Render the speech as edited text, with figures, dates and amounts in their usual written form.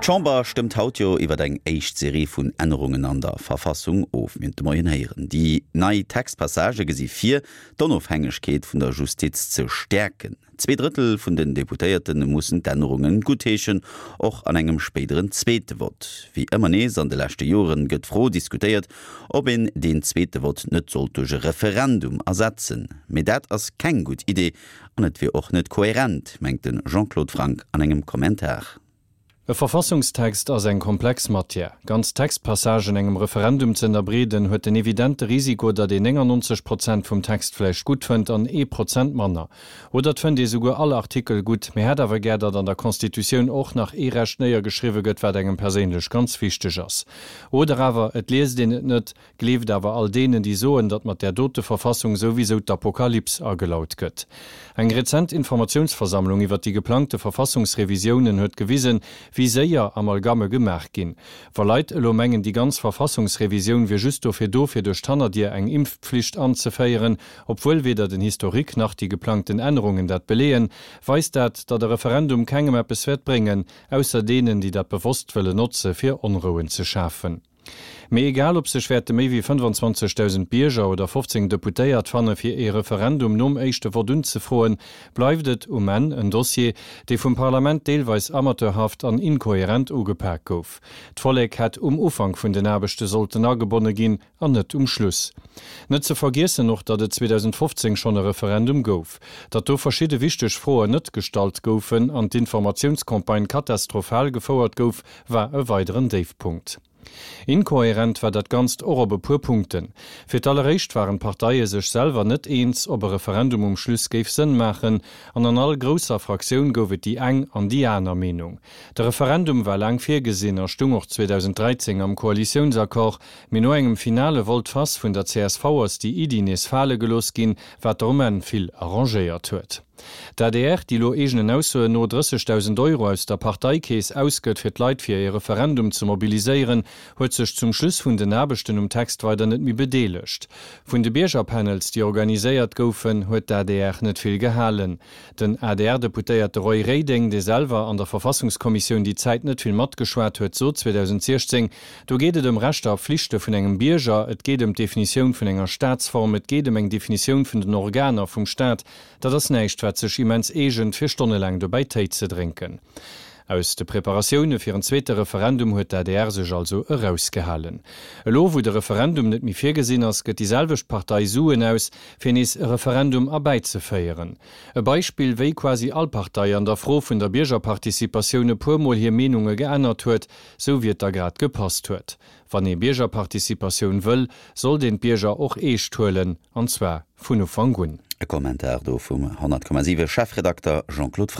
D'Chamber stëmmt haut jo iwwer eng éischt Serie vun Ännerungen an der Verfassung of. Mir hunn et de Moien héieren. Déi nei Textpassagë gesi vir, d'Onofhängegkeet vun der Justiz ze stäerken. Zweedrëttel vun den Deputéierte mussen d'Ännerunge guttheeschen, och an engem spéideren zweete Vott. Wéi ëmmer nees an de leschte Joren gëtt d'Fro diskutéiert, ob een deen zweete Vott net sollt duerch e Referendum ersetzen. Mee dat ass keng gutt Idee, An et wier och net kohärent, mengt de Jean-Claude Franck an engem Kommentar. E Verfassungstext ass eng komplex Matière. Ganz Textpassagen engem Referendum ze ënnerbreeden, huet den evidente Risiko, datt een 99 Prozent vum Text vläicht gutt fënnt an ee Prozent manner. Oder et fënnt ee souguer all Artikel gutt, mee hätt awer gär, datt an der Constitutioun och nach ee Recht néiergeschriwwe gëtt, wat engem perséinlech ganz wichteg ass. Oder awer et liest een et net, Gleeft awer all deenen, déi soen, datt mat där dote Verfassung souwisou d'Apokalyps agelaut gëtt. Eng rezent Informatiounsversammlung iwwer déi geplangte Verfassungsrevisiounen huet gewisen, wéi séier Amalgamme gemaach ginn. Wa Leit elo mengen, déi ganz Verfassungsrevisioun wier just dofir do, fir duerch d'Hannerdier eng Impfpflicht anzeféieren, obwuel weder den Historique nach déi geplangten Ännerungen dat beleeën, weist dat, datt e Referendum kengem eppes wäert bréngen, ausser deenen, déi dat bewosst wëllen notze fir Onrouen ze schafen. Mee egal ob sech wäerte méi wéi 25.000 Bierger oder 15 Deputéiert fanne fir ee Referendum nom éischte Vott unzefroen, bleift et um Enn en Dossier, dee vum Parlament deelweis amateurhaft an inkohärent ugepak gouf. D'Vollek hätt um Ufank vun den Aarbechte sollten agebonne ginn an net um Schluss. Net ze vergiessen och, datt et 2015 schonn e Referendum gouf, datt do verschidde wichteg Froen net gestallt goufen an d'Informatiounscampagne katastrophal gefouert gouf, war e weideren Déifpunkt. Inkohärent war dat Ganzt och op e puer Punkten. Fir d'alleréischt waren d'Parteie sech selwer net eens, ob e Referendum um Schluss géif Sënn maachen, an an all grousser Fraktioun gouf et déi eng an déi aner Meenung. De Referendum war laang virgesinn a stung och 2013 am Koalitiounsaccord, mee no engem finale Volte-face vun der csv ass déi Iddi nees fale gelooss ginn, wat der um Enn vill arrangéiert huet. D'adr, déi elo eegenen Aussoen no 30.000 Euro aus der Parteikeess ausgëtt fir d'Leit fir ee Referendum ze mobiliséieren, huet sech zum Schluss vun den Aarbechten um Text weider net méi bedeelegt. Vun de Biergerpanels, déi organiséiert goufen, huet d'adr net vill gehalen. Den ADR-Deputéierte Roy Reding, dee selwer an der Verfassungskommissioun déi Zäit net vill matgeschwat huet, sot 2016, Do geet et ëm Rechter a Flichte vun engem Bierger, et geet ëm d'Definitioun vun enger Staatsform, et geet ëm eng Definitioun vun den Organer vum Staat. Dat ass näischt, wat sech immens eegent, fir stonnelaang dobäi Téi ze drénken. Aus de Preparatioune fir en zweete Referendum huet d'ADR sech also erausgehalen. Elo, wou de Referendum net méi virgesinn ass, gëtt déi selwecht Partei Suen aus, fir nees e Referendum erbäizeféieren. E Beispill, wéi quasi all Partei an der Fro vun der Biergerparticipatioun e puermol hir Meenunge geännert huet, sou wéi et da grad gepasst huet. Wann ee Biergerparticipatioun wëll, sollt een d'Bierger och eescht huelen, an zwar vun Ufank un. E Kommentar do vum 100,7 Chefredakter Jean-Claude Franck.